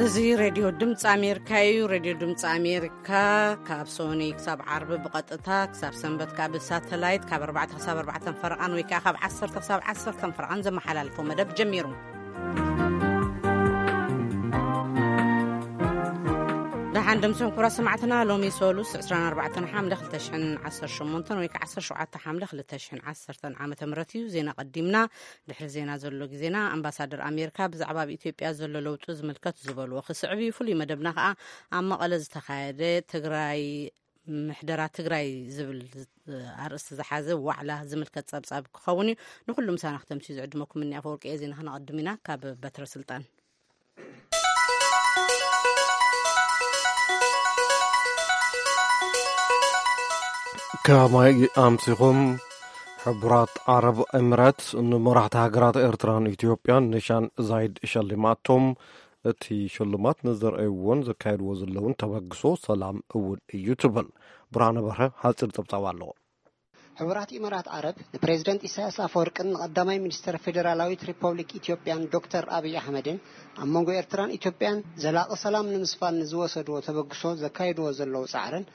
እዚ ሬድዮ ድምፂ ኣሜሪካ እዩ። ሬድዮ ድምፂ ኣሜሪካ ካብ ሶኒ ክሳብ ዓርቢ ብቐጥታ፣ ክሳብ ሰንበት ከዓ ብሳተላይት ካብ ኣርባዕተ ክሳብ ኣርባዕተ ፈረቓን ወይ ከዓ ካብ ዓሰርተ ክሳብ ዓሰርተ ፈረቓን ዘመሓላልፎ መደብ ጀሚሩ። ደሓን ደምስኹም ክቡራት ሰማዕትና። ሎሚ ሰሉስ ዕስራን ኣርባዕተን ሓምለ ክልተ ሽሕን ዓሰርተ ሸሞንተን ወይ ከዓ ዓሰርተ ሸውዓተ ሓምለ ክልተ ሽሕን ዓሰርተን ዓመተ ምህረት እዩ። ዜና ቀዲምና። ድሕሪ ዜና ዘሎ ግዜና፣ ኣምባሳደር ኣሜሪካ ብዛዕባ ኣብ ኢትዮጵያ ዘሎ ለውጢ ዝምልከት ዝበልዎ ክስዕብ እዩ። ፍሉይ መደብና ከዓ ኣብ መቐለ ዝተኻየደ ትግራይ፣ ምሕደራ ትግራይ ዝብል ኣርእስቲ ዝሓዘ ዋዕላ ዝምልከት ጸብጻብ ክኸውን እዩ። ንኹሉ ምሳና ክተምስዩ ዝዕድመኩም እኒ ኣፈወርቂ እየ። ዜና ክነቐድም ኢና። ካብ በትረ ስልጣን። ከማይ ኣምሲኹም። ሕቡራት ዓረብ ኤምሬት ንመራሕቲ ሃገራት ኤርትራን ኢትዮጵያን ኒሻን ዛይድ ሸሊማቶም። እቲ ሽልማት ንዘርኣይዎን ዘካየድዎ ዘለውን ተበግሶ ሰላም እውን እዩ ትብል። ብርሃነ በርሀ ሓጺር ጸብጻብ ኣለዎ። ሕቡራት ኢማራት ዓረብ ንፕሬዝደንት ኢሳያስ ኣፈወርቅን ንቐዳማይ ሚኒስተር ፌዴራላዊት ሪፐብሊክ ኢትዮጵያን ዶክተር ኣብይ ኣሕመድን ኣብ መንጎ ኤርትራን ኢትዮጵያን ዘላቒ ሰላም ንምስፋን ንዝወሰድዎ ተበግሶ ዘካየድዎ ዘለዉ ጻዕርን፣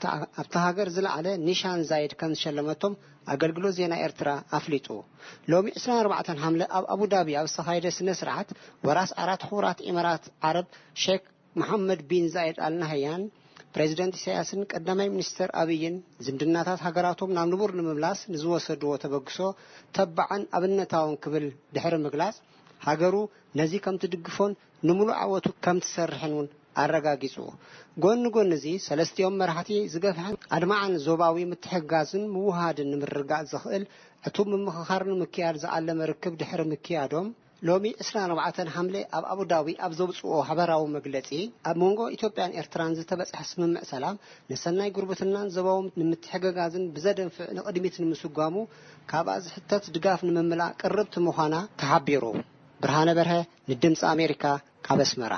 ኣብታ ሃገር ዝለዓለ ኒሻን ዛይድ ከም ዝሸለመቶም ኣገልግሎት ዜና ኤርትራ ኣፍሊጡ። ሎሚ ዕስራን ኣርባዕተን ሓምለ ኣብ ኣቡዳቢ ኣብ ዝተኻየደ ስነ ስርዓት፣ ወራስ ዓራት ሕቡራት ኢማራት ዓረብ ሼክ መሓመድ ቢን ዛይድ ኣል ናህያን ፕሬዝደንት ኢሳያስን ቀዳማይ ሚኒስተር ኣብይን ዝምድናታት ሃገራቶም ናብ ንቡር ንምምላስ ንዝወሰድዎ ተበግሶ ተባዕን ኣብነታውን ክብል ድሕሪ ምግላጽ፣ ሃገሩ ነዚ ከም ትድግፎን ንምሉእ ዓወቱ ከም ትሰርሕን እውን ኣረጋጊጹ። ጎኒ ጎኒ እዚ፣ ሰለስቲኦም መራሕቲ ዝገፍሐን ኣድማዕን ዞባዊ ምትሕግጋዝን ምውህሃድን ንምርግጋጽ ዘኽእል ዕቱብ ምምኽኻር ንምክያድ ዝዓለመ ርክብ ድሕሪ ምክያዶም፣ ሎሚ ዕስራን ኣርባዕተን ሓምለ ኣብ ኣቡዳቢ ኣብ ዘውጽኦ ሓበራዊ መግለጺ፣ ኣብ መንጎ ኢትዮጵያን ኤርትራን ዝተበጽሐ ስምምዕ ሰላም ንሰናይ ጉርብትናን ዞባዊ ንምትሕግጋዝን ብዘደንፍዕ ንቕድሚት ንምስጓሙ ካብኣ ዝሕተት ድጋፍ ንምምላእ ቅርብቲ ምዃና ተሓቢሩ። ብርሃነ በርሀ ንድምፂ ኣሜሪካ ካብ ኣስመራ።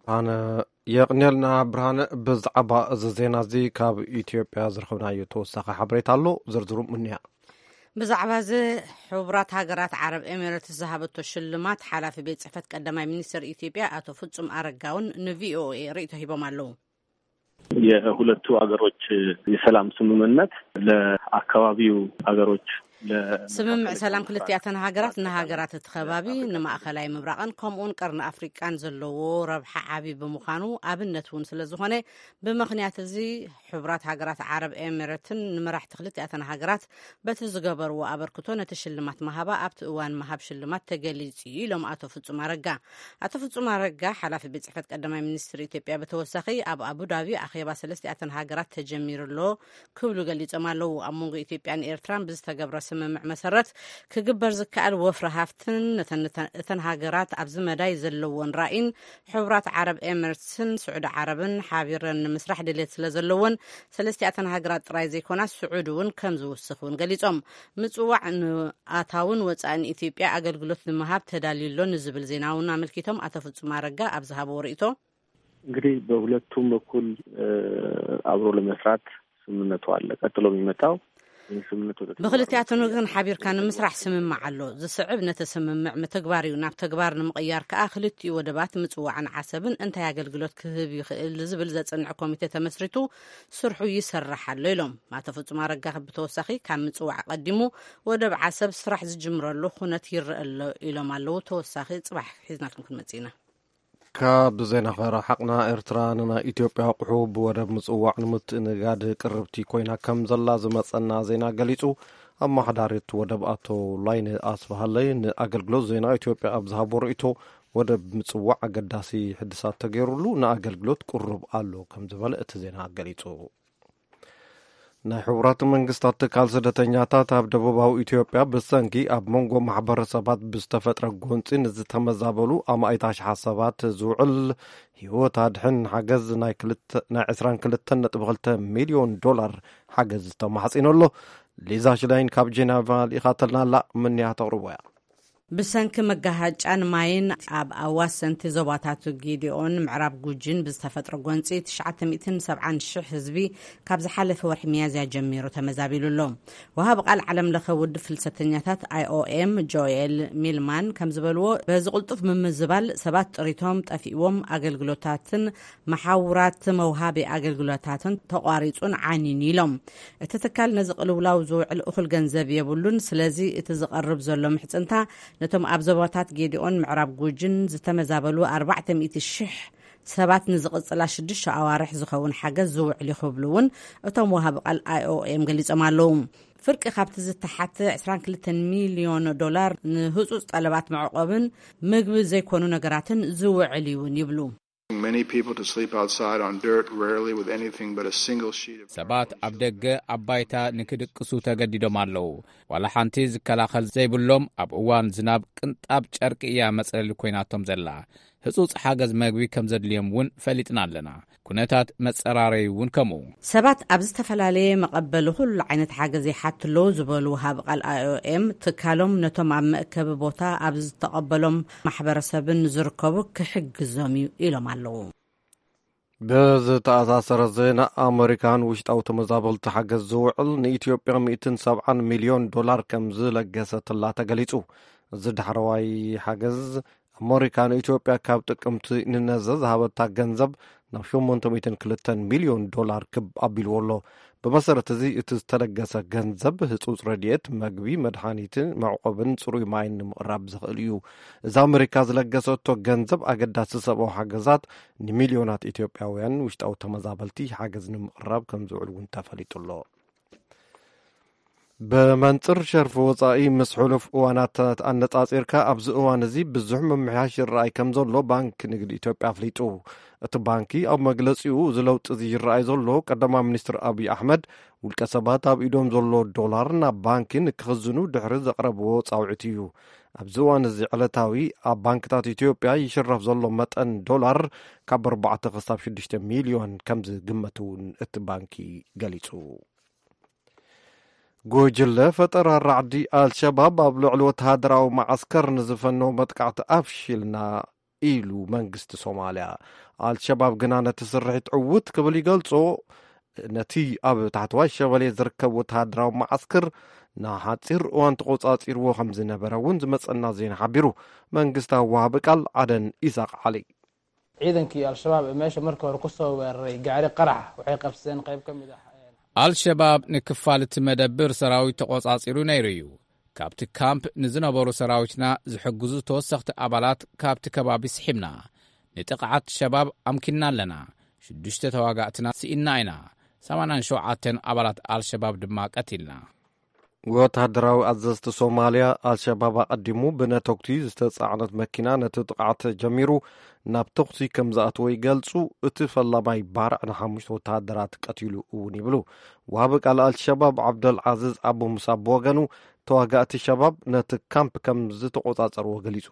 ብርሃነ፣ የቕንየልና ብርሃነ። ብዛዕባ እዚ ዜና እዚ ካብ ኢትዮጵያ ዝረኸብናዮ ተወሳኺ ሓበሬታ ኣሎ፣ ዝርዝሩ ምንያ። ብዛዕባ እዚ ሕቡራት ሃገራት ዓረብ ኤሚሬትስ ዝሃበቶ ሽልማት ሓላፊ ቤት ጽሕፈት ቀዳማይ ሚኒስትር ኢትዮጵያ ኣቶ ፍጹም ኣረጋ እውን ንቪኦኤ ርእይቶ ሂቦም ኣለዉ። የሁለቱ አገሮች የሰላም ስምምነት ለአካባቢው አገሮች ለ- ስምምዕ ሰላም ክልቲኣተን ሃገራት ንሃገራት እቲ ከባቢ፣ ንማእኸላይ ምብራቕን ከምኡውን ቀርኒ ኣፍሪቃን ዘለዎ ረብሓ ዓቢ ብምዃኑ ኣብነት እውን ስለ ዝኾነ፣ ብምኽንያት እዚ ሕቡራት ሃገራት ዓረብ ኤሚሬትን ንመራሕቲ ክልቲኣተን ሃገራት በቲ ዝገበርዎ ኣበርክቶ ነቲ ሽልማት ምሃባ ኣብቲ እዋን ምሃብ ሽልማት ተገሊጹ እዩ ኢሎም ኣቶ ፍጹም ኣረጋ። ኣቶ ፍጹም ኣረጋ፣ ሓላፊ ቤት ጽሕፈት ቀዳማይ ሚኒስትር ኢትዮጵያ፣ ብተወሳኺ ኣብ ኣቡዳቢ ኣኼባ ሰለስቲኣተን ሃገራት ተጀሚሩ ኣሎ ክብሉ ገሊጾም ኣለዉ። ኣብ መንጎ ኢትዮጵያን ኤርትራን ብዝተገብረ ስምምዕ መሰረት ክግበር ዝከኣል ወፍሪ ሃፍትን ነተን፣ እተን ሃገራት ኣብዚ መዳይ ዘለወን ራእይን፣ ሕቡራት ዓረብ ኤምሬትስን ስዑዲ ዓረብን ሓቢረን ንምስራሕ ድሌት ስለ ዘለወን፣ ሰለስቲኣተን ሃገራት ጥራይ ዘይኮና፣ ስዑዲ እውን ከም ዝውስኽ እውን ገሊጾም። ምጽዋዕ ንኣታውን ወጻእን ኢትዮጵያ ኣገልግሎት ንምሃብ ተዳልዩ ኣሎ ንዝብል ዜና እውን ኣመልኪቶም ኣቶ ፍጹም ኣረጋ ኣብ ዝሃብዎ ርእይቶ፣ እንግዲህ በሁለቱም በኩል፣ እ፣ አብሮ ለመስራት ስምምነቱ አለ። ቀጥሎ የሚመጣው ይህ ስምምነት ወደ ተግባር ብክልቲኣተን ወገን ሓቢርካ ንምስራሕ ስምምዕ ኣሎ። ዝስዕብ ነቲ ስምምዕ ምትግባር እዩ። ናብ ተግባር ንምቕያር ከኣ ክልቲኡ ወደባት ምጽዋዕን ዓሰብን እንታይ ኣገልግሎት ክህብ ይኽእል ዝብል ዘጽንዕ ኮሚቴ ተመስሪቱ ስርሑ ይሰርሕ ኣሎ ኢሎም። ኣቶ ፍጹም ኣረጋ ብተወሳኺ ካብ ምጽዋዕ ቀዲሙ ወደብ ዓሰብ ስራሕ ዝጅምረሉ ኩነት ይረአ ኣሎ ኢሎም ኣለዉ። ተወሳኺ ጽባሕ ሒዝናልኩም ክንመጽእ ኢና። ካብ ዜና ከረሓቕና፣ ኤርትራ ንናይ ኢትዮጵያ ኣቑሑ ብወደብ ምጽዋዕ ንምትእንጋድ ቅርብቲ ኮይና ከም ዘላ ዝመጸና ዜና ገሊጹ። ኣመሓዳሪ እቲ ወደብ ኣቶ ላይነ ኣስፍሃለይ ንኣገልግሎት ዜና ኢትዮጵያ ኣብ ዝሃቦ ርእይቶ፣ ወደብ ምጽዋዕ ኣገዳሲ ሕድሳት ተገይሩሉ ንኣገልግሎት ቅሩብ ኣሎ ከም ዝበለ እቲ ዜና ገሊጹ። ናይ ሕቡራት መንግስታት ትካል ስደተኛታት ኣብ ደቡባዊ ኢትዮጵያ ብሰንኪ ኣብ መንጎ ማሕበረሰባት ብዝተፈጥረ ጎንጺ ንዝተመዛበሉ ኣማኢት ኣሽሓት ሰባት ዝውዕል ህይወት ኣድሕን ሓገዝ ናይ ክልተ፣ ናይ ዕስራን ክልተን ነጥቢ ክልተ ሚልዮን ዶላር ሓገዝ ተማሕጺኑ ኣሎ። ሊዛ ሽላይን ካብ ጄኔቫ ልኢኻተልና ኣላ፣ ምንያ ተቕርቦ እያ። ብሰንኪ መጋሃጫን ማይን ኣብ ኣዋሰንቲ ዞባታት ጌዲኦን ምዕራብ ጉጂን ብዝተፈጥረ ጎንፂ ትሽዓተ ሚእትን ሰብዓን ሽሕ ህዝቢ ካብ ዝሓለፈ ወርሒ ሚያዝያ ጀሚሩ ተመዛቢሉ ኣሎ። ወሃቢ ቃል ዓለም ለኸ ውድብ ፍልሰተኛታት ኣይ ኦ ኤም ጆኤል ሚልማን ከም ዝበልዎ፣ በዚ ቅልጡፍ ምምዝባል ሰባት ጥሪቶም ጠፊእዎም፣ ኣገልግሎታትን መሓውራት መውሃቢ ኣገልግሎታትን ተቋሪጹን ዓንዩን ኢሎም። እቲ ትካል ነዚ ቅልውላው ዝውዕል እኹል ገንዘብ የብሉን። ስለዚ እቲ ዝቐርብ ዘሎ ምሕጽንታ ነቶም ኣብ ዞባታት ጌዲኦን ምዕራብ ጉጅን ዝተመዛበሉ ኣርባዕተ ሚእቲ ሽሕ ሰባት ንዝቕጽላ ሽዱሽተ ኣዋርሕ ዝኸውን ሓገዝ ዝውዕል እዩ ክብሉ እውን እቶም ወሃቢ ቃል ኣይ ኦ ኤም ገሊጾም ኣለዉ። ፍርቂ ካብቲ ዝተሓተ ዕስራን ክልተን ሚልዮን ዶላር ንህጹጽ ጠለባት መዕቆብን ምግቢ ዘይኮኑ ነገራትን ዝውዕል እዩ እውን ይብሉ። Many people to sleep outside on dirt, rarely with anything but a single sheet of ሰባት ኣብ ደገ ኣብ ባይታ ንክድቅሱ ተገዲዶም ኣለዉ። ዋላ ሓንቲ ዝከላኸል ዘይብሎም፣ ኣብ እዋን ዝናብ ቅንጣብ ጨርቂ እያ መጽለሊ ኮይናቶም ዘላ። ህጹጽ ሓገዝ መግቢ ከም ዘድልዮም እውን ፈሊጥና ኣለና። ኩነታት መጸራረዩ እውን ከምኡ። ሰባት ኣብ ዝተፈላለየ መቐበሊ ኩሉ ዓይነት ሓገዝ ይሓቱ ኣለዉ ዝበሉ ወሃቢ ቃል ኣይ ኦ ኤም፣ ትካሎም ነቶም ኣብ መእከቢ ቦታ ኣብ ዝተቐበሎም ማሕበረሰብን ዝርከቡ ክሕግዞም እዩ ኢሎም ኣለዉ። ብዝተኣሳሰረ ዜና፣ ኣመሪካ ንውሽጣዊ ተመዛበልቲ ሓገዝ ዝውዕል ንኢትዮጵያ ሚእትን ሰብዓን ሚልዮን ዶላር ከም ዝለገሰትላ ተገሊጹ። እዚ ዳሕረዋይ ሓገዝ፣ ኣመሪካ ንኢትዮጵያ ካብ ጥቅምቲ ንነዘ ዝሃበታ ገንዘብ ናብ ሸሞንተ ሚእትን ክልተን ሚልዮን ዶላር ክብ ኣቢልዎ ኣሎ። ብመሰረት እዚ፣ እቲ ዝተለገሰ ገንዘብ ህጹጽ ረድኤት፣ መግቢ፣ መድሓኒትን መዕቆብን ጽሩይ ማይን ንምቕራብ ዘኽእል እዩ። እዚ ኣመሪካ ዝለገሰቶ ገንዘብ ኣገዳሲ ሰብኣዊ ሓገዛት ንሚልዮናት ኢትዮጵያውያን ውሽጣዊ ተመዛበልቲ ሓገዝ ንምቕራብ ከም ዝውዕል እውን ተፈሊጡ ኣሎ። ብመንጽር ሸርፊ ወጻኢ ምስ ሕሉፍ እዋናት ኣነጻጺርካ ኣብዚ እዋን እዚ ብዙሕ ምምሕያሽ ይረኣይ ከም ዘሎ ባንኪ ንግዲ ኢትዮጵያ ኣፍሊጡ። እቲ ባንኪ ኣብ መግለጺኡ፣ እዚ ለውጢ እዚ ይረኣይ ዘሎ ቀዳማይ ሚኒስትር ኣብይ ኣሕመድ ውልቀ ሰባት ኣብ ኢዶም ዘሎ ዶላር ናብ ባንኪ ንክኽዝኑ ድሕሪ ዘቕረብዎ ጻውዒት እዩ። ኣብዚ እዋን እዚ ዕለታዊ ኣብ ባንክታት ኢትዮጵያ ይሽረፍ ዘሎ መጠን ዶላር ካብ ኣርባዕተ ክሳብ ሽዱሽተ ሚልዮን ከም ዝግመት እውን እቲ ባንኪ ገሊጹ። ጉጅለ ፈጠራ ራዕዲ ኣልሸባብ ኣብ ልዕሊ ወተሃደራዊ መዓስከር ንዝፈነው መጥቃዕቲ ኣፍሺልና ኢሉ መንግስቲ ሶማልያ። ኣልሸባብ ግና ነቲ ስርሒት ዕዉት ክብል ይገልጾ። ነቲ ኣብ ታሕተዋይ ሸበሌ ዝርከብ ወተሃደራዊ መዓስከር ንሓጺር እዋን ተቖጻጺርዎ ከም ዝነበረ እውን ዝመጸና ዜና ሓቢሩ። መንግስታዊ ወሃቢ ቃል ዓደን ኢሳቕ ዓሊ። Ciidankii Al-Shabaab ee meesha markii hore ku soo weeraray gaari qarax waxay qabsadeen qayb ka mid ah. ኣልሸባብ ንክፋል እቲ መደብር ሰራዊት ተቖጻጺሩ ነይሩ እዩ። ካብቲ ካምፕ ንዝነበሩ ሰራዊትና ዝሕግዙ ተወሰኽቲ ኣባላት ካብቲ ከባቢ ስሒብና። ንጥቕዓት ሸባብ ኣምኪንና ኣለና። ሽዱሽተ ተዋጋእትና ስኢንና ኢና። ሰማንያን ሸውዓተን ኣባላት ኣልሸባብ ድማ ቀቲልና። ወተሃደራዊ ኣዘዝቲ ሶማልያ፣ ኣልሸባብ ኣቐዲሙ ብነተጉቲ ዝተጻዕነት መኪና ነቲ ጥቕዓት ጀሚሩ ናብ ተኹሲ ከም ዝኣተወ ይገልጹ። እቲ ፈላማይ ባርዕ ንሓሙሽተ ወተሃደራት ቀቲሉ እውን ይብሉ። ወሃቢ ቃል ኣልሸባብ ዓብደል ዓዚዝ ኣቡ ሙሳ ብወገኑ፣ ተዋጋእቲ ሸባብ ነቲ ካምፕ ከም ዝተቖጻጸርዎ ገሊጹ።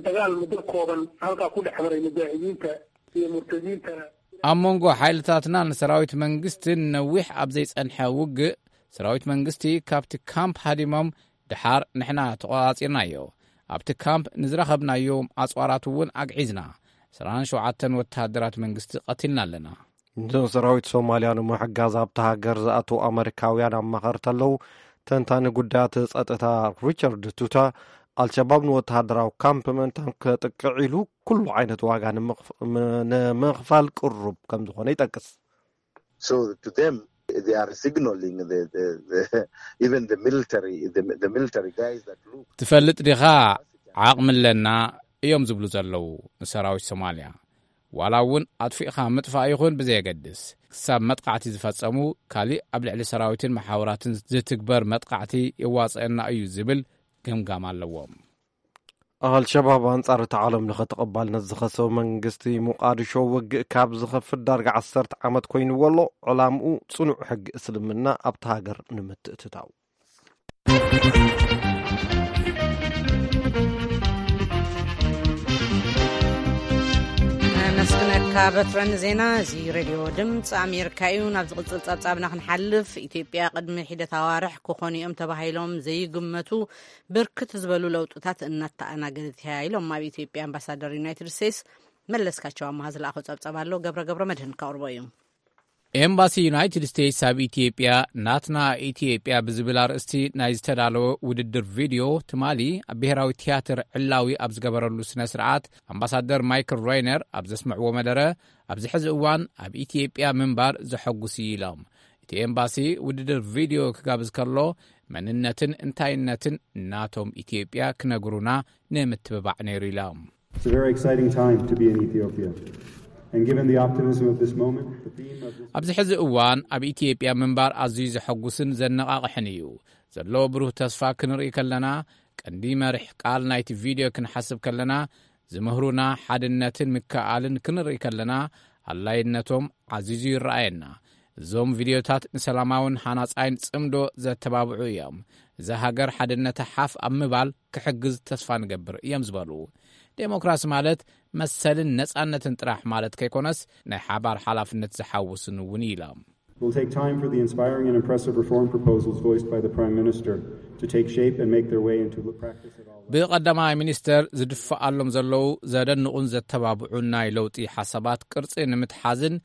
Dagaal muddo kooban halkaa ku dhex maray mujaahidiinta iyo murtadiinta. ኣብ መንጎ ሓይልታትናን ሰራዊት መንግስትን ነዊሕ ኣብ ዘይጸንሐ ውግእ፣ ሰራዊት መንግስቲ ካብቲ ካምፕ ሃዲሞም፣ ድሓር ንሕና ተቖጻጺርናዮ። ኣብቲ ካምፕ ንዝረኸብናዮም ኣጽዋራት እውን ኣግዒዝና። ዕስራን ሸውዓተን ወተሃደራት መንግስቲ ቀቲልና ኣለና። ንሰራዊት ሶማልያ ንምሕጋዝ ኣብታ ሃገር ዝኣተዉ ኣመሪካውያን ኣማኸርቲ ኣለዉ። ተንታኒ ጉዳያት ጸጥታ ሪቻርድ ቱታ፣ ኣልሸባብ ንወተሃደራዊ ካምፕ ምእንታን ከጥቅዕ ኢሉ ኩሉ ዓይነት ዋጋ ንምኽፍ-፣ ም-፣ ንምኽፋል ቅሩብ ከም ዝኾነ ይጠቅስ። So to them, they are signaling the, the, the, even the military, the, the military guys that look. ትፈልጥ ዲኻ? ዓቕሚ ኣለና እዮም ዝብሉ ዘለዉ ንሰራዊት ሶማልያ። ዋላ እውን ኣጥፊእኻ ምጥፋእ ይኹን ብዘየገድስ፣ ክሳብ መጥቃዕቲ ዝፈጸሙ፣ ካሊእ ኣብ ልዕሊ ሰራዊትን መሓውራትን ዝትግበር መጥቃዕቲ የዋጽአና እዩ ዝብል ግምጋም ኣለዎም። ኣልሸባብ ኣንጻር እቲ ዓለም ለኸ ተቐባልነት ዝኸሰበ መንግስቲ ሞቃዲሾ ውግእ ካብ ዝኸፍት ዳርጋ ዓሰርተ ዓመት ኮይንዎ ኣሎ። ዕላምኡ ጽኑዕ ሕጊ እስልምና ኣብቲ ሃገር ንምትእትታው። ነመስግነካ ካብ በትረን ዜና፣ እዚ ሬድዮ ድምፂ ኣሜሪካ እዩ። ናብ ዝቕፅል ጸብጻብና ክንሓልፍ፣ ኢትዮጵያ ቅድሚ ሒደት ኣዋርሕ ክኾኑ እዮም ተባሂሎም ዘይግመቱ ብርክት ዝበሉ ለውጥታት እናተኣናገደት እያ ኢሎም ኣብ ኢትዮጵያ ኣምባሳደር ዩናይትድ ስቴትስ መለስካቸው ኣማሃ ዝለኣኾ ጸብጻብ ኣሎ። ገብረ ገብረ መድህን ከቕርቦ እዩ። ኤምባሲ ዩናይትድ ስቴትስ ኣብ ኢትዮጵያ፣ ናትና ኢትዮጵያ ብዝብል ኣርእስቲ ናይ ዝተዳለወ ውድድር ቪድዮ ትማሊ ኣብ ብሔራዊ ቲያትር ዕላዊ ኣብ ዝገበረሉ ስነ ስርዓት፣ ኣምባሳደር ማይክል ሮይነር ኣብ ዘስምዕዎ መደረ፣ ኣብዚ ሕዚ እዋን ኣብ ኢትዮጵያ ምንባር ዘሐጉስ እዩ ኢሎም። እቲ ኤምባሲ ውድድር ቪድዮ ክጋብዝ ከሎ፣ መንነትን እንታይነትን ናቶም ኢትዮጵያ ክነግሩና ንምትብባዕ ነይሩ ኢሎም። It's a very exciting time to be in Ethiopia. And given the optimism of this moment, the theme of this ኣብዚ ሕዚ እዋን ኣብ ኢትዮጵያ ምንባር ኣዝዩ ዘሐጉስን ዘነቓቕሕን እዩ። ዘሎ ብሩህ ተስፋ ክንርኢ ከለና፣ ቀንዲ መሪሕ ቃል ናይቲ ቪድዮ ክንሓስብ ከለና፣ ዝምህሩና ሓድነትን ምክእኣልን ክንርኢ ከለና፣ ኣላይነቶም ዓዚዙ ይረኣየና። እዞም ቪድዮታት ንሰላማውን ሃናጻይን ጽምዶ ዘተባብዑ እዮም። እዛ ሃገር ሓድነታ ሓፍ ኣብ ምባል ክሕግዝ ተስፋ ንገብር እዮም ዝበሉ። ዴሞክራሲ ማለት መሰልን ነጻነትን ጥራሕ ማለት ከይኮነስ፣ ናይ ሓባር ሓላፍነት ዝሓውስን እውን እዩ ኢሎም። It will take time for the inspiring and impressive reform proposals voiced by the Prime Minister to take shape and make their way into practice at all levels. ብቐዳማይ ሚኒስተር ዝድፈኣሎም ዘለዉ ዘደንቑን ዘተባብዑን ናይ ለውጢ ሓሳባት ቅርጺ ንምትሓዝን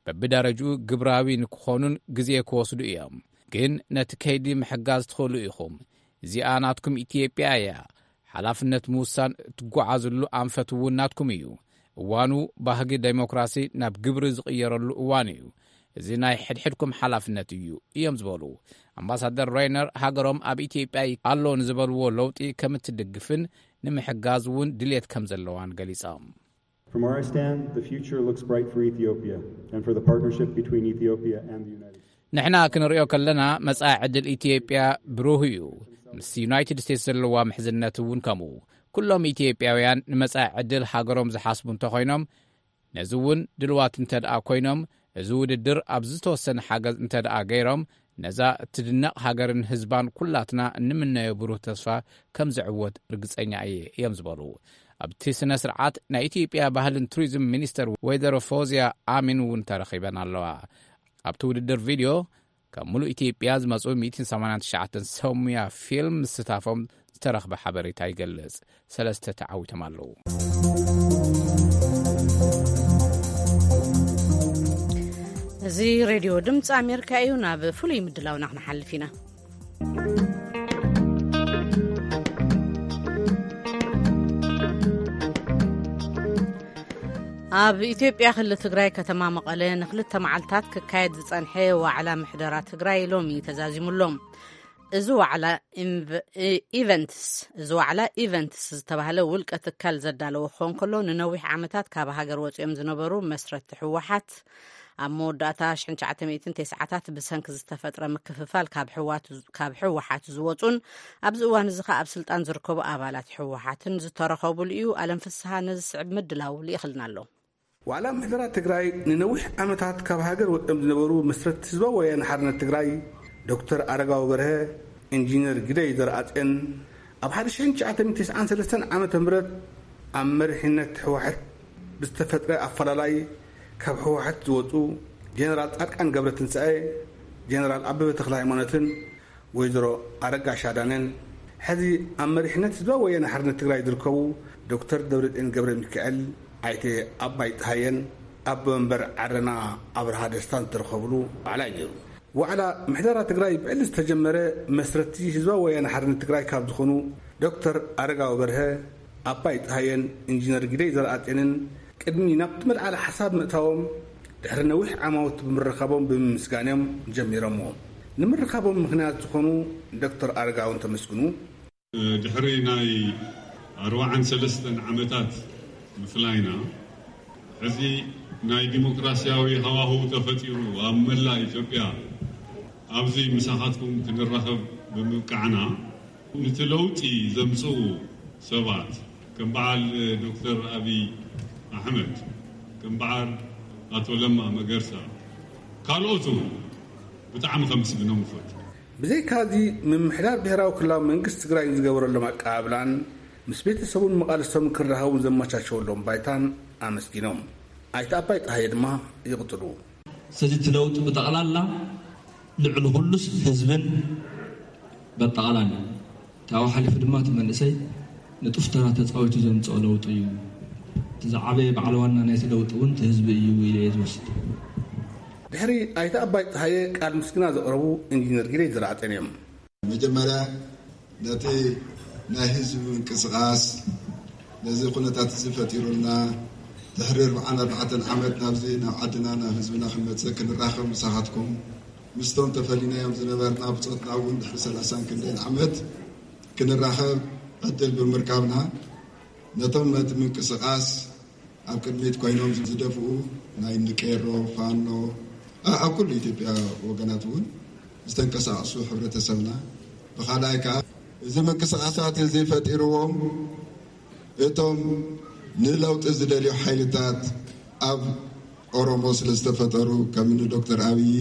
በብደረጅኡ ግብራዊ ንክኾኑን ግዜ ክወስዱ እዮም። ግን ነቲ ከይዲ ምሕጋዝ ትኽእሉ ኢኹም። እዚኣ ናትኩም ኢትዮጵያ እያ። ሓላፍነት ምውሳን እትጓዓዝሉ ኣንፈት እውን ናትኩም እዩ። እዋኑ ባህጊ ዴሞክራሲ ናብ ግብሪ ዝቕየረሉ እዋን እዩ። እዚ ናይ ሕድሕድኩም ሓላፍነት እዩ እዮም ዝበሉ ኣምባሳደር ሮይነር፣ ሃገሮም ኣብ ኢትዮጵያ ኣሎ ንዝበልዎ ለውጢ ከም እትድግፍን ንምሕጋዝ እውን ድልየት ከም ዘለዋን ገሊጾም። From where I stand, the future looks bright for Ethiopia and for the partnership between Ethiopia and the United States. ንሕና ክንሪኦ ከለና መጻኢ ዕድል ኢትዮጵያ ብሩህ እዩ። ምስ ዩናይትድ ስቴትስ ዘለዋ ምሕዝነት እውን ከምኡ። ኩሎም ኢትዮጵያውያን ንመጻኢ ዕድል ሃገሮም ዝሓስቡ እንተኾይኖም፣ ነዚ እውን ድልዋት እንተደኣ ኮይኖም፣ እዚ ውድድር ኣብ ዝተወሰነ ሓገዝ እንተደኣ ገይሮም፣ ነዛ እትድነቕ ሃገርን ህዝባን ኩላትና እንምነዮ ብሩህ ተስፋ ከም ዝዕወት ርግጸኛ እየ እዮም ዝበሉ። ኣብቲ ስነ ስርዓት ናይ ኢትዮጵያ ባህልን ቱሪዝም ሚኒስተር ወይዘሮ ፎዝያ ኣሚን እውን ተረኺበን ኣለዋ። ኣብቲ ውድድር ቪድዮ ካብ ሙሉእ ኢትዮጵያ ዝመጹ ሚእትን ሰማንያን ትሽዓተን ሰሙያ ፊልም ምስታፎም ዝተረኽበ ሓበሬታ ይገልጽ። ሰለስተ ተዓዊቶም ኣለዉ። እዚ ሬድዮ ድምፂ ኣሜሪካ እዩ። ናብ ፍሉይ ምድላውና ክንሓልፍ ኢና። ኣብ ኢትዮጵያ ክልል ትግራይ ከተማ መቐለ ንክልተ መዓልታት ክካየድ ዝጸንሐ ዋዕላ ምሕደራ ትግራይ ሎሚ ተዛዚሙ ኣሎ። እዚ ዋዕላ ኢንቨ-፣ ኢ-፣ ኢቨንትስ፣ እዚ ዋዕላ ኢቨንትስ ዝተባህለ ውልቀ ትካል ዘዳለዎ ክኸውን ከሎ፣ ንነዊሕ ዓመታት ካብ ሃገር ወጺኦም ዝነበሩ መስረቲ ህወሓት፣ ኣብ መወዳእታ ሽሕን ትሽዓተ ሚእትን ተስዓታት ብሰንኪ ዝተፈጥረ ምክፍፋል ካብ ህዋት-፣ ካብ ህወሓት ዝወጹን ኣብዚ እዋን እዚ ኸኣ ኣብ ስልጣን ዝርከቡ ኣባላት ህወሓትን ዝተረኸቡሉ እዩ። ኣለም ፍስሃ ነዚ ዝስዕብ ምድላው ልኢኽልና ኣሎ። ዋዕላ ምሕደራ ትግራይ ንነዊሕ ዓመታት ካብ ሃገር ወፂኦም ዝነበሩ መስረቲ ህዝባዊ ወያነ ሓርነት ትግራይ ዶክተር ኣረጋዊ በርሀ፣ ኢንጂነር ግደይ ዘርኣፅዮን፣ ኣብ ሓደ ሽሕን ትሽዓተ ሚእትን ተስዓን ሰለስተን ዓመተ ምህረት ኣብ መሪሕነት ህወሓት ብዝተፈጥረ ኣፈላላይ ካብ ህወሓት ዝወፁ ጀነራል ፃድቃን ገብረትንሳኤ፣ ጀነራል ኣበበ ተክለ ሃይማኖትን ወይዘሮ ኣረጋሽ ኣዳነን፣ ሕዚ ኣብ መሪሕነት ህዝባዊ ወያነ ሓርነት ትግራይ ዝርከቡ ዶክተር ደብረፅዮን ገብረ ሚካኤል፣ ኣይተ ኣባይ ፀሃየን ኣቦ መንበር ዓረና ኣብርሃ ደስታን ዝተረኸብሉ ዋዕላ እዩ ነይሩ። ዋዕላ ምሕደራ ትግራይ ብዕሊ ዝተጀመረ መስረቲ ህዝባዊ ወያነ ሓርነት ትግራይ ካብ ዝኾኑ ዶክተር ኣረጋዊ በርሀ፣ ኣባይ ፀሃየን ኢንጂነር ግደይ ዘርኣፅዮንን ቅድሚ ናብቲ መልዓሊ ሓሳብ ምእታዎም፣ ድሕሪ ነዊሕ ዓማውት ብምርኻቦም ብምምስጋን እዮም ጀሚሮምዎ። ንምርኻቦም ምኽንያት ዝኾኑ ዶክተር ኣረጋውን ተመስግኑ። ድሕሪ ናይ ኣርባዓን ሰለስተን ዓመታት ምፍላይና፣ ሕዚ ናይ ዲሞክራሲያዊ ሃዋህው ተፈጢሩ ኣብ መላእ ኢትዮጵያ ኣብዚ ምሳኻትኩም ክንራኸብ ብምብቃዕና፣ ነቲ ለውጢ ዘምጽኡ ሰባት ከም በዓል ዶክተር ኣብይ ኣሕመድ፣ ከም በዓል ኣቶ ለማ መገርሳ፣ ካልኦት እውን ብጣዕሚ ከምስግኖም እፈቱ። ብዘይካዚ፣ ምምሕዳር ብሄራዊ ክልላዊ መንግስቲ ትግራይ ዝገበረሎም ኣቀባብላን ምስ ቤተሰቡን መቓልስቶምን ክራኸቡ ዘመቻቸወሎም ባይታን ኣመስጊኖም። ኣይተ ኣባይ ጸሃየ ድማ ይቕጽሉ። ስለዚ እቲ ለውጢ ብጠቕላላ ልዕሊ ኩሉስ ህዝብን በጠቕላላ ካብኡ ሓሊፉ ድማ እቲ መንእሰይ ንጡፍ ተራ ተፃዊቱ ዘምፅኦ ለውጢ እዩ። እቲ ዝዓበየ በዓል ዋና ናይቲ ለውጢ እውን እቲ ህዝቢ እዩ ኢለ እየ ዝወስድ። ድሕሪ ኣይተ ኣባይ ጸሃየ ቃል ምስግና ዘቕረቡ ኢንጂነር ጊደይ ዘርኣጽዮን እዮም። መጀመርያ ነቲ ናይ ህዝቢ ምንቅስቃስ ነዚ ኩነታት እዚ ፈጢሩልና ድሕሪ ኣርብዓን ኣርባዕተን ዓመት ናብዚ ናብ ዓድና ናብ ህዝብና ክንመፅእ ክንራኸብ ምሳኻትኩም ምስቶም ተፈሊናዮም ዝነበርና ብፆትና እውን ድሕሪ ሰላሳን ክንደይን ዓመት ክንራኸብ ዕድል ብምርካብና ነቶም ነቲ ምንቅስቃስ ኣብ ቅድሚት ኮይኖም ዝደፍኡ ናይ ንቄሮ ፋኖ ኣብ ኩሉ ኢትዮጵያ ወገናት እውን ዝተንቀሳቀሱ ሕብረተሰብና ብካልኣይ ከዓ እዚ ምንቅስቃሳት እዚ ፈጢርዎም እቶም ንለውጢ ዝደልዩ ሓይልታት ኣብ ኦሮሞ ስለ ዝተፈጠሩ ከምኒ ዶክተር ኣብይ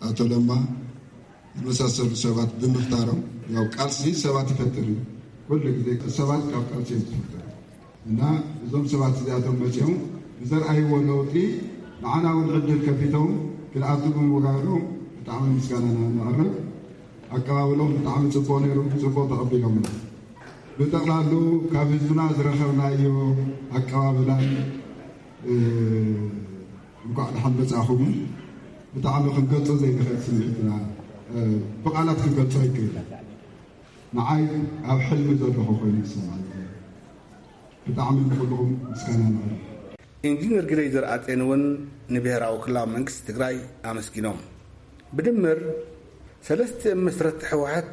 ኣቶ ለማ ዝመሳሰሉ ሰባት ብምፍጣሮም ያው ቃልሲ ሰባት ይፈጥር እዩ። ኩሉ ግዜ ሰባት ካብ ቃልሲ እዮም ዝፍጠሩ እና እዞም ሰባት እዚኣቶም መፂኦም ብዘርኣይዎ ለውጢ ንዓና እውን ዕድል ከፊቶም ክንኣቱ ብምግባሮም ብጣዕሚ ምስጋናና ነቕርብ። ኣቀባብሎም ብጣዕሚ ፅቡቅ ነይሩ፣ ፅቡቅ ተቐቢሎም። ብጠቕላሉ ካብ ህዝብና ዝረኸብናዮ ኣቀባብላን እንኳዕ ደሓን መጻእኹም። ብጣዕሚ ክንገልጾ ዘይንኽእል ስምዒትና ብቓላት ክንገልጾ ኣይክእል። ንዓይ ኣብ ሕልሚ ዘለኹ ኮይኑ ይሰማዕ። ብጣዕሚ ንኹልኹም ምስጋና ነቕርብ። ኢንጂነር ግደይ ዘርኣጼን እውን ንብሄራዊ ክልላዊ መንግስቲ ትግራይ ኣመስጊኖም። ብድምር ሰለስቲኦም መስረቲ ህወሓት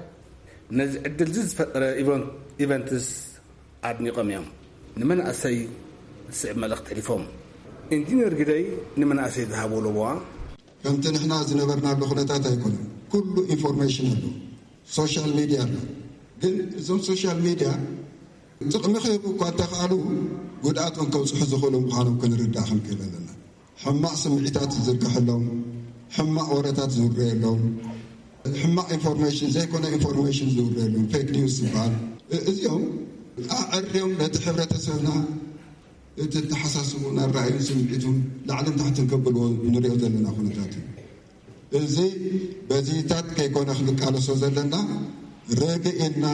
ነዚ ዕድል እዚ ዝፈጠረ ኢቨንትስ ኣድኒቖም እዮም። ንመናእሰይ ዝስዕብ መልእኽቲ ኣሕሊፎም። ኢንጂነር ግደይ ንመናእሰይ ዝሃብዎ ለበዋ። ከምቲ ንሕና ዝነበርናሉ ኩነታት ኣይኮነን። ኩሉ ኢንፎርሜሽን ኣሎ፣ ሶሻል ሚድያ ኣሎ። ግን እዞም ሶሻል ሚድያ ጥቕሚ ክህቡ እኳ እንተኽኣሉ ጉድኣት እውን ከብፅሑ ዝኽእሉ ምዃኖም ክንርዳእ ክንክእል ኣለና። ሕማቕ ስምዒታት ዝዝርግሐሎም፣ ሕማቕ ወረታት ዝውረየሎም፣ ሕማቕ ኢንፎርሜሽን ዘይኮነ ኢንፎርሜሽን ዝውረየሎም ፌክ ኒውስ ዝበሃል እዚኦም ኣዐርዮም ነቲ ሕብረተሰብና እቲ ተሓሳስቡን ኣራእዩን ስምዒቱን ላዕልን ታሕትን ከብልዎ ንሪኦ ዘለና ኩነታት እዩ። እዚ በዚታት ከይኮነ ክንቃለሶ ዘለና ርግእ ኢልና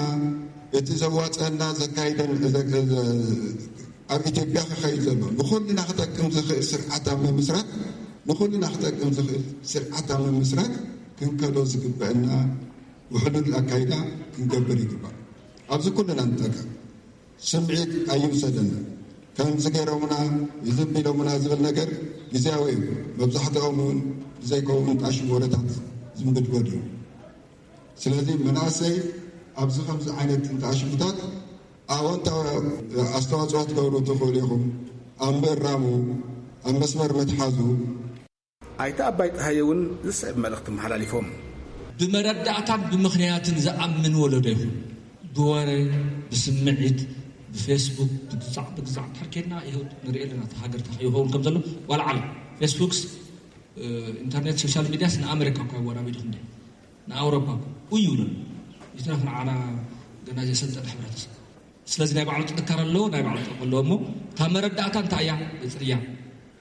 እቲ ዘዋፀና ዘካይደን ኣብ ኢትዮጵያ ክኸይድ ዘሎ ንኹልና ክጠቅም ዝኽእል ስርዓት ኣብ ምምስራት ንኹልና ክጠቅም ዝኽእል ስርዓት ኣብ ምምስራት ክንከዶ ዝግበአና ውሕሉል ኣካይዳ ክንገብር ይግባእ። ኣብዚ ኩልና ንጠቀም። ስምዒት ኣይውሰደና። ከምዚ ገይሮምና፣ እዚ ቢሎምና ዝብል ነገር ግዝያዊ እዩ። መብዛሕትኦም እውን ብዘይከውን ጣሽም ወረታት ዝንብድበድ እዩ። ስለዚ መናእሰይ ኣብዚ ከምዚ ዓይነት እንተኣሽሙታት ኣወንታዊ ኣስተዋፅኦ ትገብሩ ትኽእሉ ኢኹም። ኣብ ምእራሙ፣ ኣብ መስመር ምትሓዙ፣ ኣይተ ኣባይ ጸሃየ እውን ዝስዕብ መልእኽቲ ኣመሓላሊፎም። ብመረዳእታን ብምኽንያትን ዝኣምን ወለዶ ይኹን ብወረ ብስምዒት ብፌስቡክ ብግዛዕ ብግዛዕ ድሕር ኬድና ይኸውድ ንርኢ ኣለና። እቲ ሃገር እንታይ ይኸውን ከም ዘሎ ዋላ ዓለም ፌስቡክስ ኢንተርኔት ሶሻል ሚድያስ ንኣመሪካ እኳ ይወራቢዱ ክንደ ንኣውሮፓ እኮ እዩ ይብለሉ። ይትረፍ ንዓና ገና ዘሰልጠነ ሕብረተሰብ ስለዚ ናይ ባዕሉ ጥንካረ ኣለዎ፣ ናይ ባዕሉ ጥቕሚ ኣለዎ። እሞ እታ መረዳእታ እንታይ እያ? እፅርያ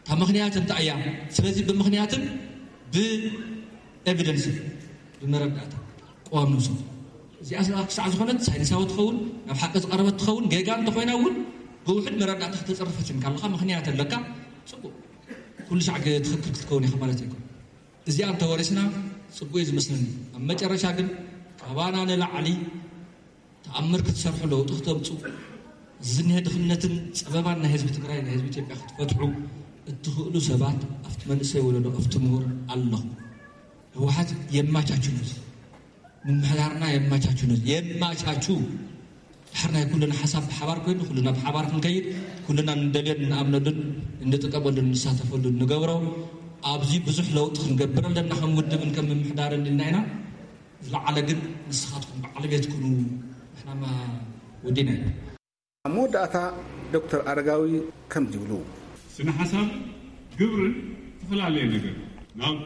እታ ምኽንያት እንታይ እያ? ስለዚ ብምኽንያትን ብኤቪደንስ ብመረዳእታ ቅዋም ንውሰድ። እዚኣ ክሳዕ ዝኾነት ሳይንሳዊ ትኸውን ናብ ሓቂ ዝቐረበት ትኸውን ጌጋ እንተኮይና እውን ብውሕድ መረዳእታ ክተፅርፈትን ካለካ ምኽንያት ኣለካ ፅቡቅ ኩሉ ሻዕ ትኽክል ክትከውን ኢኻ ማለት ኣይኮን። እዚኣ እንተወሪስና ፅቡቅ እዩ ዝመስለኒ። ኣብ መጨረሻ ግን ካባና ንላዕሊ ተኣምር ክትሰርሑ ለውጢ ክተምፁ ዝኒሀ ድኽነትን ፀበባን ናይ ህዝቢ ትግራይ ናይ ህዝቢ ኢትዮጵያ ክትፈትሑ እትኽእሉ ሰባት ኣብቲ መንእሰይ ወለዶ ኣብቲ ምሁር ኣለኹ። ህወሓት የማቻቹ ነዚ ምምሕዳርና የማቻቹ ነዚ የማቻቹ ድሕር ናይ ኩልና ሓሳብ ብሓባር ኮይኑ ኩልና ብሓባር ክንከይድ ኩልና ንደልዮን ንኣምነሉን እንጥቀመሉን ንሳተፈሉን ንገብሮ ኣብዚ ብዙሕ ለውጢ ክንገብር ኣለና ከም ውድብን ከም ምምሕዳርን ኢልና ኢና። ዝለዓለ ግን ንስኻትኩም በዓል ቤት ኩኑ ንሕናማ ወዲና ኢና። ኣብ መወዳእታ ዶክተር ኣረጋዊ ከምዚ ይብሉ። ስነ ሓሳብ ግብርን ዝተፈላለየ ነገር ናብ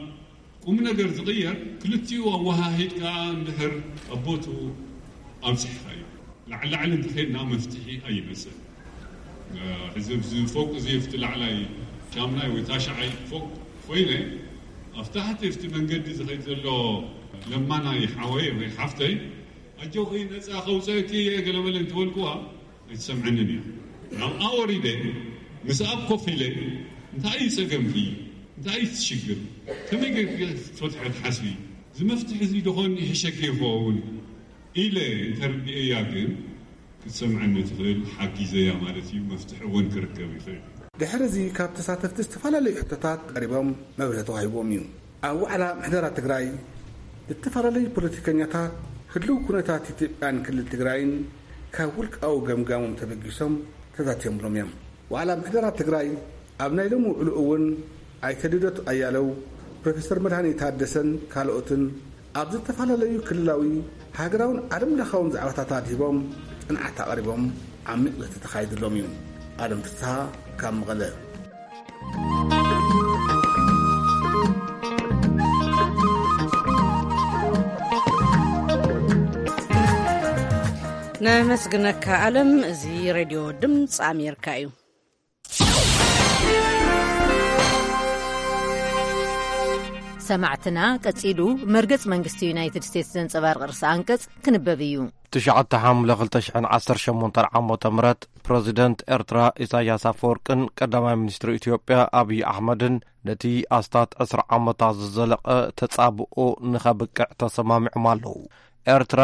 ቁም ነገር ዝቕየር ክልቲኡ ኣወሃሂድካ እንድሕር ኣብ ቦትኡ ኣብፅሕኻዮ ላዕሊ ላዕሊ እንተኸይድና መፍትሒ ኣይመፅእን። ሕዚ ኣብዚ ፎቅ እዚ ኣብቲ ላዕላይ ሻምናይ ወይ ታሽዓይ ፎቅ ኮይነ፣ ኣብ ታሕቲ ኣብቲ መንገዲ ዝኸይድ ዘሎ ለማናይ ሓወይ ወይ ሓፍተይ፣ "ኣጆኺ፣ ነጻ ከውጽአኪ እየ" ገለመለ እንተበልኩዋ፣ ኣይትሰምዐንን እያ። ናብኣ ወሪደ፣ ምስኣ ኮፍ ኢለ፣ "እንታይ እዩ ጸገምኪ? እንታይ እዩ እቲ ሽግር? ከመይ ጌርኪ ክትፈትሖ ትሓስቢ? እዚ መፍትሒ እዚ ደኾን ይሕሸኪ ይኸውን?" ኢለ እንተርዲኤያ ግን፣ ክትሰምዐኒ ትኽእል፣ ሓጊዘያ ማለት እዩ። መፍትሒ እውን ክርከብ ይኽእል። ድሕሪ እዚ ካብ ተሳተፍቲ ዝተፈላለዩ ሕቶታት ቀሪቦም መብርሂ ተዋሂቦም እዩ። ኣብ ዋዕላ ምሕደራ ትግራይ ዝተፈላለዩ ፖለቲከኛታት ህልው ኩነታት ኢትዮጵያን ክልል ትግራይን ካብ ውልቃዊ ገምጋሞም ተበጊሶም ተዛቲዮምሎም እዮም። ዋዕላ ምሕደራ ትግራይ ኣብ ናይ ሎሚ ውዕሉ እውን ኣይተ ልደቱ ኣያለው፣ ፕሮፌሰር መድሃኔ ታደሰን ካልኦትን ኣብ ዝተፈላለዩ ክልላዊ፣ ሃገራውን ዓለም ለኻውን ዛዕባታት ኣድሂቦም ጽንዓት ኣቕሪቦም ዓሚቕ ዘተ ተኻይድሎም እዩ። ኣለም ፍስሃ ካብ መቐለ። ነመስግነካ ኣለም። እዚ ሬድዮ ድምፂ ኣሜሪካ እዩ። ሰማዕትና፣ ቀጺሉ መርገጽ መንግስቲ ዩናይትድ ስቴትስ ዘንጸባርቕ ርእሰ ኣንቀጽ ክንበብ እዩ። ትሽዓተ ሓምለ ክልተ ሽሕን ዓሰርተ ሸሞንተን ዓመተ ምህረት ፕረዚደንት ኤርትራ ኢሳያስ ኣፈወርቅን ቀዳማይ ሚኒስትር ኢትዮጵያ ኣብይ ኣሕመድን ነቲ ኣስታት ዕስራ ዓመታት ዝዘለቐ ተጻብኦ ንኸብቅዕ ተሰማሚዖም ኣለዉ። ኤርትራ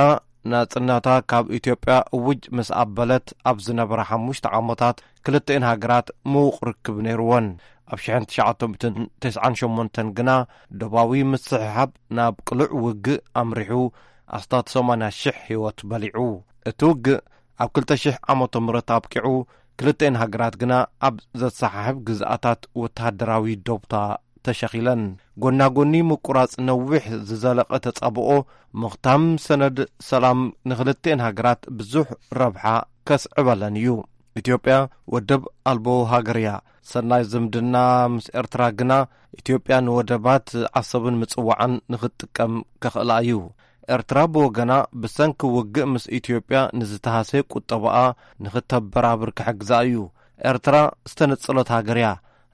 ናጽነታ ካብ ኢትዮጵያ እውጅ ምስ ኣበለት ኣብ ዝነበራ ሓሙሽተ ዓመታት ክልተኤን ሃገራት ምዉቕ ርክብ ነይርወን። ኣብ ሽሕን ትሽዓተ ሚእትን ተስዓን ሸሞንተን ግና ዶባዊ ምስሕሓብ ናብ ቅሉዕ ውግእ ኣምሪሑ ኣስታት ሰማንያ ሽሕ ህይወት በሊዑ። እቲ ውግእ ኣብ ክልተ ሽሕ ዓመተ ምህረት ኣብቂዑ፣ ክልተኤን ሃገራት ግና ኣብ ዘሰሓሕብ ግዝኣታት ወተሃደራዊ ዶብታ ተሸኺለን። ጎና ጎኒ ምቁራጽ ነዊሕ ዝዘለቐ ተጻብኦ፣ ምኽታም ሰነድ ሰላም ንክልተኤን ሃገራት ብዙሕ ረብሓ ከስዕበለን እዩ። ኢትዮጵያ ወደብ ኣልቦ ሃገር እያ። ሰናይ ዝምድና ምስ ኤርትራ ግና፣ ኢትዮጵያ ንወደባት ዓሰብን ምጽዋዕን ንኽትጥቀም ከኽእላ እዩ። ኤርትራ ብወገና፣ ብሰንኪ ውግእ ምስ ኢትዮጵያ ንዝተሃሰየ ቁጠባኣ ንኽተበራብር ክሕግዛ እዩ። ኤርትራ ዝተነጸለት ሃገር እያ።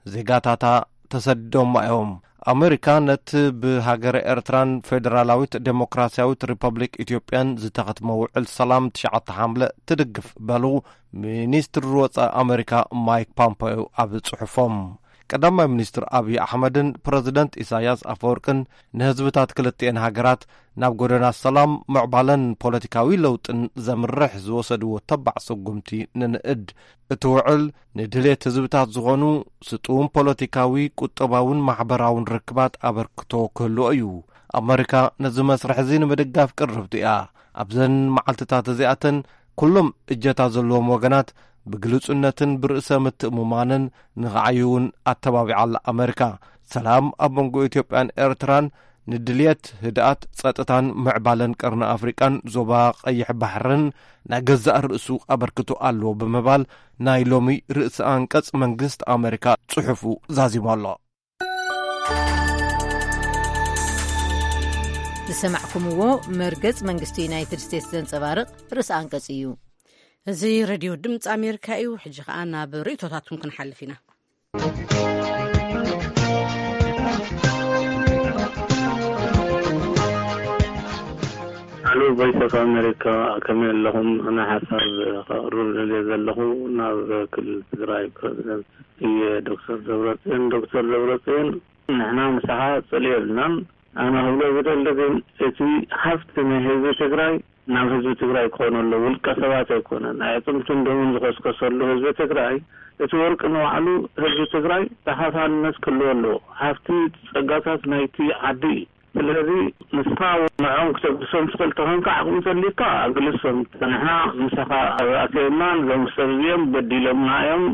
ዜጋታታ ተሰዲዶማ እዮም። ኣመሪካ ነቲ ብሃገረ ኤርትራን ፌደራላዊት ዴሞክራስያዊት ሪፐብሊክ ኢትዮጵያን ዝተኸትመ ውዕል ሰላም ትሽዓተ ሓምለ ትድግፍ በሉ፣ ሚኒስትሪ ወጻኢ ኣመሪካ ማይክ ፖምፔዮ ኣብ ጽሑፎም። ቀዳማይ ሚኒስትር ኣብይ ኣሕመድን ፕረዚደንት ኢሳያስ ኣፈወርቅን ንህዝብታት ክልቲኤን ሃገራት ናብ ጎደና ሰላም፣ ምዕባለን ፖለቲካዊ ለውጥን ዘምርሕ ዝወሰድዎ ተባዕ ስጉምቲ ንንእድ። እቲ ውዕል ንድሌት ህዝብታት ዝኾኑ ስጡም ፖለቲካዊ፣ ቁጠባውን ማሕበራውን ርክባት ኣበርክቶ ክህልዎ እዩ። ኣመሪካ ነዚ መስርሕ እዚ ንምድጋፍ ቅርብቲ እያ። ኣብዘን መዓልትታት እዚኣተን ኩሎም እጀታ ዘለዎም ወገናት ብግሉጽነትን ብርእሰ ምትእምማንን ንኽዓዩ እውን ኣተባቢዓ ኣላ ኣመሪካ። ሰላም ኣብ መንጎ ኢትዮጵያን ኤርትራን ንድልየት ህድኣት፣ ጸጥታን ምዕባለን ቀርኒ ኣፍሪቃን ዞባ ቀይሕ ባሕርን ናይ ገዛእ ርእሱ ኣበርክቶ ኣለዎ ብምባል ናይ ሎሚ ርእሰ ኣንቀጽ መንግስቲ ኣመሪካ ጽሑፉ ዛዚሙ ኣሎ። ዝሰማዕኩምዎ መርገጽ መንግስቲ ዩናይትድ ስቴትስ ዘንጸባርቕ ርእሰ ኣንቀጽ እዩ። እዚ ሬድዮ ድምፂ ኣሜሪካ እዩ። ሕጂ ኸኣ ናብ ርእይቶታትኩም ክንሓልፍ ኢና። ኣሉ ቮይስ ኦፍ ኣሜሪካ፣ ከመይ ኣለኹም? ኣነ ሓሳብ ከቕርብ ደልየ ዘለኹ ናብ ክልል ትግራይ ፕረዚደንት እየ ዶክተር ደብረፅዮን። ዶክተር ደብረፅዮን፣ ንሕና ምሳኻ ፅል የብልናን። ኣነ ክብሎ ዝደሊ ግን እቲ ሃፍቲ ናይ ህዝቢ ትግራይ ናብ ህዝቢ ትግራይ ክኾን ኣሎ፣ ውልቀ ሰባት ኣይኮነን። ኣዕፅምትን ደሙን ዝኸስከሰሉ ህዝቢ ትግራይ፣ እቲ ወርቂ ንባዕሉ ህዝቢ ትግራይ ተኻፋልነት ክህልዎ ኣለዎ። ሃፍቲ ጸጋታት ናይቲ ዓዲ እዩ። ስለዚ ንስኻ ንዕኦም ክተግልሶም ትኽእል ተኾንካ፣ ዓቕሚ ተልዩካ ኣግልሶም። ንሕና ምሳኻ ኣተየናን እዞም ሰብ እዚኦም በዲሎምና እዮም።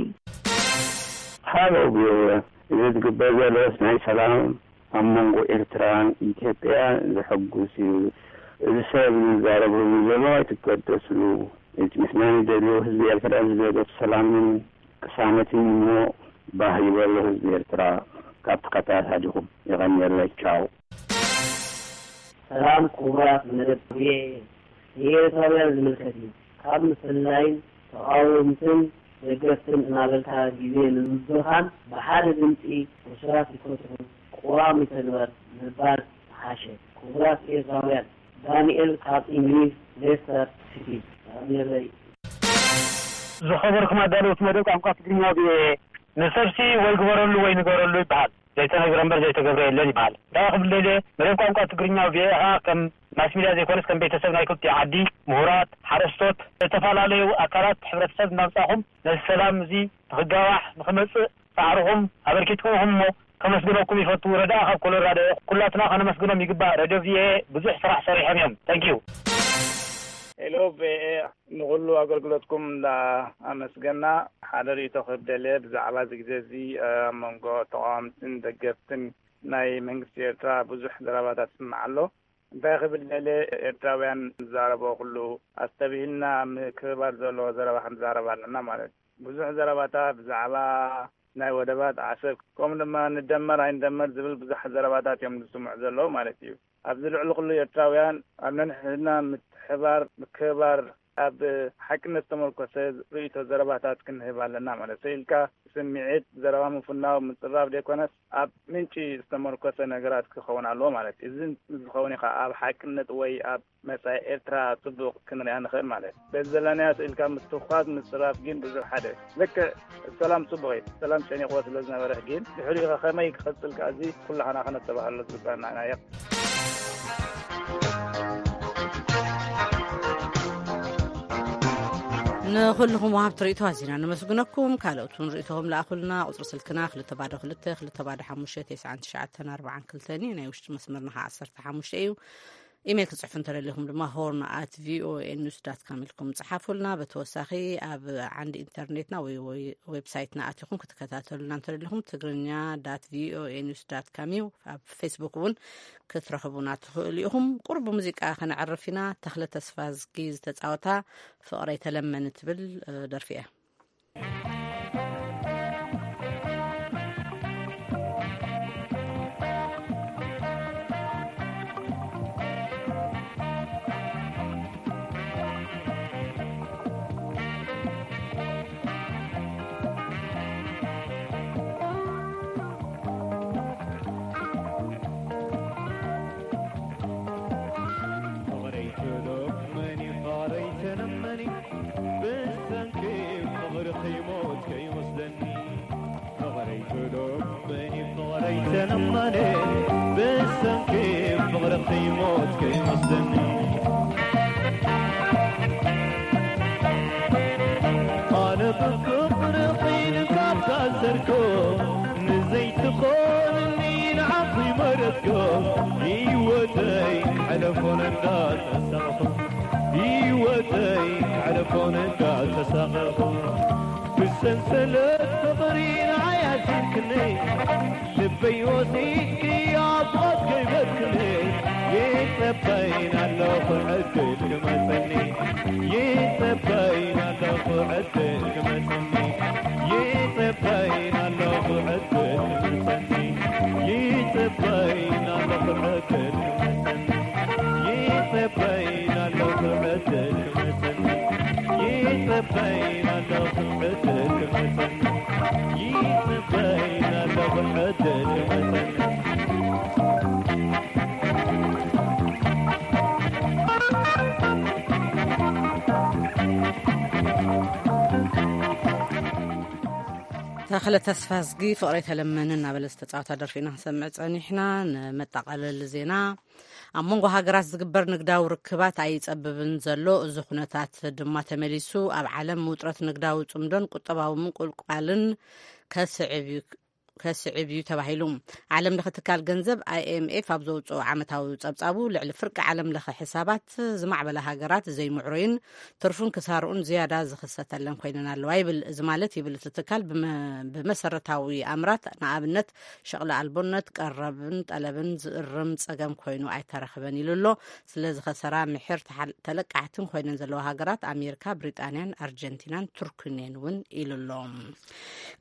ሃሎ ቪኦኤ፣ እዚ ዝግበር ዘሎስ ናይ ሰላም ኣብ መንጎ ኤርትራን ኢትዮጵያን ዘሐጉስ እዩ። እዚ ሰብ ዝዛረበሉ ዘሎ ኣይትገደስሉ። እቲ ንሕና ንደልዮ ህዝቢ ኤርትራ ዝደልዮ ሰላምን ቅሳነትን እሞ ባህ ይበሎ ህዝቢ ኤርትራ። ካብ ተኸታታሊኹም የቐንየለይ። ቻው። ሰላም ክቡራት መደብ ቪኦኤ፣ ንኤርትራውያን ዝምልከት እዩ። ካብ ምፍልላይን ተቓወምትን ደገፍትን እናበልካ ግዜ ንምብኻን ብሓደ ድምፂ ሕሱራት ይፈትሑ፣ ቅዋም ይተግበር ምባል ምሓሸ። ክቡራት ኤርትራውያን፣ ዳንኤል ካብ እንግሊዝ ሌስተር ሲቲ። ኣሜን። ዝኸበርኩም ኣዳለውቲ መደብ ቋንቋ ትግርኛ ቪኦኤ፣ ንሰብሲ ወይ ግበረሉ ወይ ንገረሉ ይበሃል። ዘይተነግረ እምበር ዘይተገብረ የለን ይበሃል። እንታይ ክብል ደልየ፣ መደብ ቋንቋ ትግርኛ ቪኦኤ ኸዓ ከም ማስ ሚድያ ዘይኮነስ ከም ቤተሰብ ናይ ክልቲኡ ዓዲ፣ ምሁራት፣ ሓረስቶት፣ ዝተፈላለዩ ኣካላት ሕብረተሰብ እናምጻኹም ነዚ ሰላም እዚ ንኽጋዋሕ ንኽመጽእ ጻዕርኹም ኣበርኪትኩም ኢኹም እሞ ከመስግነኩም ይፈቱ። ረዳኣ ካብ ኮሎራዶ እየ። ኩላትና ከነመስግኖም ይግባእ። ሬድዮ ቪኦኤ ብዙሕ ስራሕ ሰሪሖም እዮም። ታንኪዩ። ሄሎ ቪኦኤ፣ ንኹሉ ኣገልግሎትኩም እንዳ ኣመስገና፣ ሓደ ርእይቶ ክህብ ደልየ ብዛዕባ እዚ ግዜ እዚ፣ ኣብ መንጎ ተቓወምትን ደገፍትን ናይ መንግስቲ ኤርትራ ብዙሕ ዘረባታት ይስማዕ ኣሎ። እንታይ ክብል ደልየ፣ ኤርትራውያን ዝዛረቦ ኩሉ ኣስተብሂልና ምክብባር ዘለዎ ዘረባ ክንዛረብ ኣለና ማለት እዩ። ብዙሕ ዘረባታት ብዛዕባ ናይ ወደባት ዓሰብ፣ ከምኡ ድማ ንደመር ኣይንደመር ዝብል ብዙሕ ዘረባታት እዮም ዝስምዑ ዘለዉ ማለት እዩ። ኣብዚ ልዕሊ ኩሉ ኤርትራውያን ኣብ ነንሕድና ምትሕባር፣ ምክብባር፣ ኣብ ሓቅነት ዝተመርኮሰ ርእይቶ ዘረባታት ክንህብ ኣለና ማለት እዩ። ኢልካ ስምዒት፣ ዘረባ ምፍናው፣ ምጽራፍ ዘይኮነስ ኣብ ምንጪ ዝተመርኮሰ ነገራት ክኸውን ኣለዎ ማለት እዩ። እዚ ዝኸውን እዩ ከኣ ኣብ ሓቅነት ወይ ኣብ መጻኢ ኤርትራ ጽቡቕ ክንሪኣ ንኽእል ማለት እዩ። በዚ ዘለናዮ ስኢልካ ምትኳስ ምጽራፍ ግን ብዙሕ ሓደ። ልክዕ ሰላም ጽቡቕ እዩ። ሰላም ጨኒቕዎ ስለ ዝነበረ ግን ድሕሪኡ ከ ከመይ ክቕጽል ከኣ እዚ ኩላህና ከነተባህሎ ዝግባና ኢና። ንኹልኹም ወሃብቲ ርእይቶ ኣዚና ነመስግነኩም። ካልኦት እውን ርእይቶኹም ለኣኹልና። ቁጽሪ ስልክና ክልተ ባዶ ክልተ፣ ክልተ ባዶ ሓሙሽተ፣ ተስዓን ትሽዓተን ኣርባዓን ክልተን እዩ። ናይ ውሽጢ መስመርና ኸዓ ዓሰርተ ሓሙሽተ እዩ። ኢሜይል ክጽሕፉ እንተደሊኹም ድማ ሆርን ኣት ቪኦኤ ኒውስ ዳት ካም ኢልኩም ጽሓፉልና። ብተወሳኺ ኣብ ዓንዲ ኢንተርኔትና ወይ ወይ ዌብሳይትና ኣቲኹም ክትከታተሉና እንተደሊኹም ትግርኛ ዳት ቪኦኤ ኒውስ ዳት ካም እዩ። ኣብ ፌስቡክ እውን ክትረኽቡና ትኽእሉ ኢኹም። ቁሩብ ብሙዚቃ ከነዕርፍ ኢና። ተኽለ ተስፋዝጊ ዝተጻወታ ፍቕረይ ተለመኒ ትብል፣ እ፣ ደርፊ እያ። ፍቕረይ ትለመኒ፣ ፍቕረይ ተለመኒ፣ ብሰንኪ ፍቕርኺ ሞት ከይወስደኒ። ፍቕረይ ትለመኒ፣ ፍቕረይ ተለመኒ፣ ብሰንኪ ፍቕርኺ ሞት ከይወስደኒ። ኣነ ብፍቕርኺ ንካብ ታሰርኩ፣ ንዘይትኾንኒ ንዓኺ መረጽኩ። ህይወተይ ሕለፎን እንዳተሳቐኹ፣ ህይወተይ ሕለፎን እንዳተሳቐኹ። ብሰንሰለት ፍቕሪ ንዓይ ኣሲርክኒ፣ ልበይ ወሲድኪ ኣብ ሞት ከይበልክኒ። ይጸበይን ኣለኹ ዕድል ክመጸኒ፣ ይጸበይን ኣለኹ ዕድል ክመጸኒ፣ ይጸበይን ኣለኹ ዕድል ክመጸኒ፣ ይጸበይን ኣለኹ ዕድል ክመጸኒ፣ ይጸበይን ኣለኹ ዕድል ክመጸኒ፣ ይጸበይን ኣለኹ ዕድል ክመጸኒ፣ ይጸበይን ኣለኹ ዕድል ክመጸኒ። ተኽለ ተስፋዝጊ ፍቕረይ ተለመኒ እናበለ ዝተጻወታ ደርፊ ኢና ክንሰምዕ ጸኒሕና። ንመጠቓለሊ ዜና፣ ኣብ መንጎ ሃገራት ዝግበር ንግዳዊ ርክባት ኣይጸብብን ዘሎ። እዚ ኩነታት ድማ ተመሊሱ ኣብ ዓለም ውጥረት ንግዳዊ ጽምዶን ቁጠባዊ ምንቁልቋልን ከስዕብ እዩ፣ ከስዕብ እዩ ተባሂሉ። ዓለም ለኸ ትካል ገንዘብ ኣይ ኤም ኤፍ ኣብ ዘውፅኦ ዓመታዊ ጸብጻቡ፣ ልዕሊ ፍርቂ ዓለም ለኸ ሕሳባት ዝማዕበላ ሃገራት ዘይምዕሩይን ትርፉን ክሳርኡን ዝያዳ ዝኽሰተለን ኮይነን ኣለዋ ይብል። እዚ ማለት ይብል እቲ ትካል ብመ-፣ ብመሰረታዊ ኣምራት ንኣብነት ሸቕሊ ኣልቦነት፣ ቀረብን ጠለብን ዝእርም ጸገም ኮይኑ ኣይተረኽበን ኢሉ ኣሎ። ስለ ዝኸሰራ ምሒር ተሓል-፣ ተለቃሕትን ኮይነን ዘለዋ ሃገራት ኣሜሪካ፣ ብሪጣንያን ኣርጀንቲናን ቱርክን እየን እውን ኢሉ ኣሎ።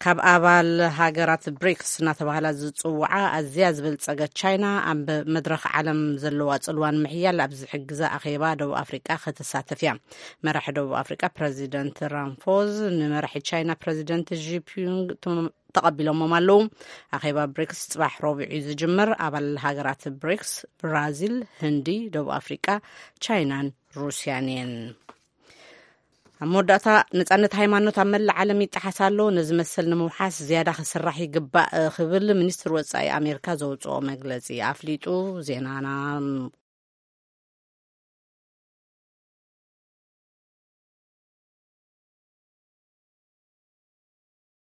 ካብ ኣባል ሃገራት ብሪክስ እናተባህላ ዝፅውዓ ኣዝያ ዝበልፀገት ቻይና ኣብ መድረኽ ዓለም ዘለዋ ፅልዋን ምሕያል ኣብ ዝሕግዛ ኣኼባ ደቡብ ኣፍሪቃ ከተሳተፍ እያ። መራሒ ደቡብ ኣፍሪቃ ፕረዚደንት ራምፎዝ ንመራሒ ቻይና ፕረዚደንት ዢ ፒንግ ተቐቢሎሞም ኣለዉ። ኣኼባ ብሪክስ ፅባሕ ረቡዕ እዩ ዝጅምር። ኣባል ሃገራት ብሪክስ ብራዚል፣ ህንዲ፣ ደቡብ ኣፍሪቃ፣ ቻይናን ሩስያን እየን። ኣብ መወዳእታ፣ ነጻነት ሃይማኖት ኣብ መላእ ዓለም ይጠሓስ ኣሎ። ነዚ መሰል ንምውሓስ ዝያዳ ክስራሕ ይግባእ ክብል ሚኒስትር ወጻኢ ኣሜሪካ ዘውፅኦ መግለፂ ኣፍሊጡ። ዜናና